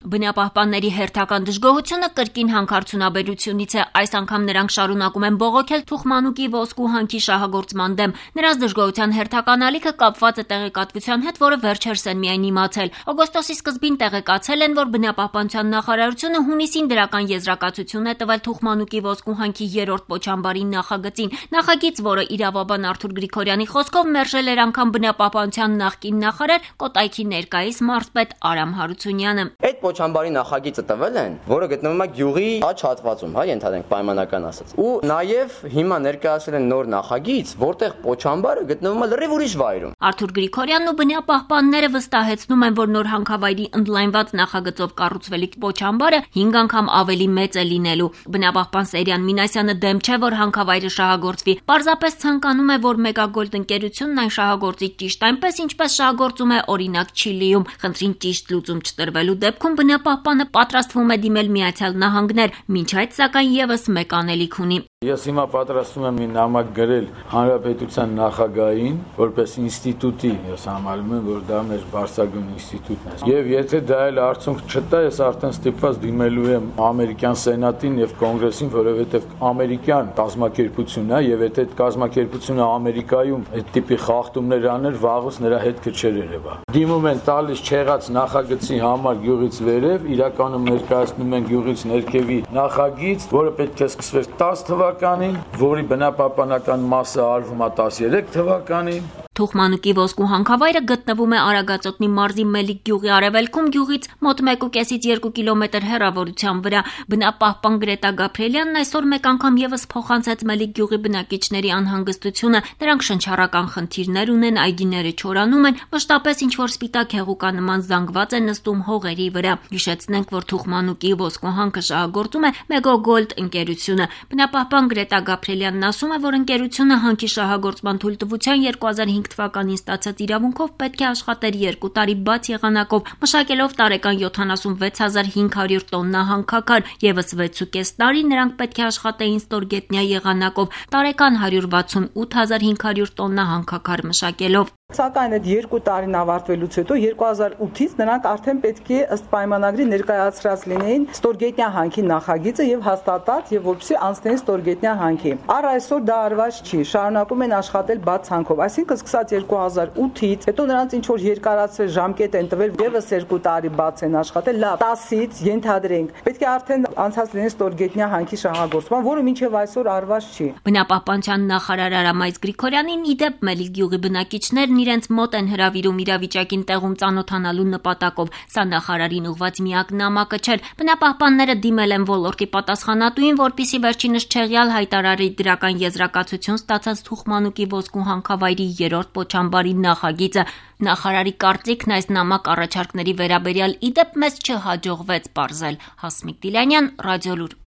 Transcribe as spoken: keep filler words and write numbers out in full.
Բնապահպանների հերթական դժգոհությունը կրկին հանքարդյունաբերությունից է, այս անգամ նրանք շարունակում են բողոքել թուխմանուկի ոսկու հանքի շահագործման դեմ։ Նրանց դժգոհության հերթական ալիքը կապված է տեղեկատվության հետ, որը վերջերս են միայն իմացել։ Օգոստոսի սկզբին տեղեկացել են, որ բնապահպանության նախարարությունը հունիսին դրական եզրակացություն է տվել թուխմանուկի ոսկու հանքի երրորդ պոչամբարի նախագծին։ Նախագիծ, որը իրավաբան Արթուր Գրիգորյանի խոսքով մերժել էր անգամ բնապահպանության նախկին նախարար Կոտայքի ներկայիս մարզպետ Արամ Հարությունյանը։ Այդ պոչամբարի նախագիծը տվել են, որը գտնվում է գյուղի աջ հատվածում, հա, ենթադրենք պայմանական ասած։ Ու նաև հիմա ներկայացել են նոր նախագիծ, որտեղ պոչամբարը գտնվում է լրիվ ուրիշ վայրում։ Արթուր Գրիգորյանն ու բնապահպանները վստահեցնում են, որ նոր հանքավայրի ընդլայնված նախագծով կառուցվելիք պոչամբարը հինգ անգամ ավելի մեծ է լինելու։ Բնապահպան Սերյան Մինասյանը դեմ չէ, որ հանքավայրը շահագործվի։ Պարզապես ցանկանում է, որ Մեգագոլդ ընկերությունն այն շահագործի ճիշտ այնպես, ինչպես շահագործում է օրինակ Չիլիում։ Խնդրին ճիշտ լուծում չտրվելու դեպքում բնապահպանը պատրաստվում է դիմել Միացյալ Նահանգներ, մինչ այդ սակայն եւս մեկ անելիք ունի։ Ես հիմա պատրաստում եմ մի նամակ գրել Հանրապետության նախագահին, որպես ինստիտուտի, ես համարում եմ, որ դա մեր բարձրագույն ինստիտուտն է։ Եվ եթե դա էլ արդյունք չտա, ես արդեն ստիպված դիմելու եմ ամերիկյան սենատին եւ կոնգրեսին, որովհետեւ ամերիկյան կազմակերպությունն է, եւ եթե այդ կազմակերպությունը Ամերիկայում այդ տիպի խախտումներ աներ, վաղուց նրա հետքը չէր երևա։ Դիմում են տալիս չեղած նախագծի համար գյուղից վերև, իրականում ներկայացնում են գյուղից ներքևի նախագիծ, որը պետք է սկսվեր տասը թվականին, որի բնապահպանական մասը արվում է տասներեք թվականին։ Թուխմանուկի ոսկու հանքավայրը գտնվում է Արագածոտնի մարզի Մելիք գյուղի արևելքում, գյուղից մոտ մեկ ու կեսից երկու կիլոմետր հեռավորության վրա։ Բնապահպան Գրետա Գաբրիելյանն այսօր մեկ անգամ եւս փոխանցեց Մելիք գյուղի բնակիչների անհանգստությունը։ Նրանք շնչառական խնդիրներ ունեն, այգիները չորանում են, մշտապես ինչ-որ սպիտակ հեղուկանման զանգված է նստում հողերի վրա։ Հիշեցնենք, որ թուխմանուկի ոսկու հանքը շահագործում է Մեգագոլդ ընկերությունը։ Բնապահպան Գրետա Գաբրիելյանն ասում է, որ ընկերությունը հանքի շահագործման թույլտվության երկու հազար հինգ թվականին ստացած իրավունքով պետք է աշխատեր երկու տարի բաց եղանակով, մշակելով տարեկան յոթանասունվեց հազար հինգ հարյուր տոննա հանքաքար, եւս վեց ու կես տարի նրանք պետք է աշխատեին ստորգետնյա եղանակով, տարեկան հարյուր վաթսունութ հազար հինգ հարյուր տոննա հանքաքար մշակելով։ Սակայն այդ երկու տարին ավարտվելուց հետո երկու հազար ութից նրանք արդեն պետք է ըստ պայմանագրի ներկայացրած լինեին ստորգետնյա հանքի նախագիծը եւ հաստատած եւ որպեսզի անցնեին ստորգետնյա հանքի։ Առ այսօր դա արված չի, շարունակում են աշխատել բաց հանքով, այսինքն սկսած երկու հազար ութից, հետո նրանց ինչ որ երկարացրել ժամկետ են տվել, եւս երկու տարի բաց են աշխատել, լավ, տասից ենթադրենք, պետք է արդեն անցած լինեն ստորգետնյա հանքի շահագործման, որը մինչեւ այսօր արված չի։ Բնապահպանության նախարար Արամայից Գրիգորյանին իդեպ Մելիք գյուղի բնակիչներն իրենց մոտ են հրավիրում իրավիճակին տեղում ծանոթանալու նպատակով։ Սա նախարարին ուղված միակ նամակը չէր։ Բնապահպանները դիմել են ոլորտի պատասխանատուին, որպեսզի վերջինս չեղյալ հայտարարի դրական եզրակացություն ստացած թուխմանուկի ոսկու հանքավայրի երրորդ պոչամբարի նախագիծը։ Նախարարի կարծիքն այս նամակ առաջարկների վերաբերյալ իդեպ մեզ չհաջողվեց պարզել։ Հասմիկ Դիլյանյան, Ռադիոլուր։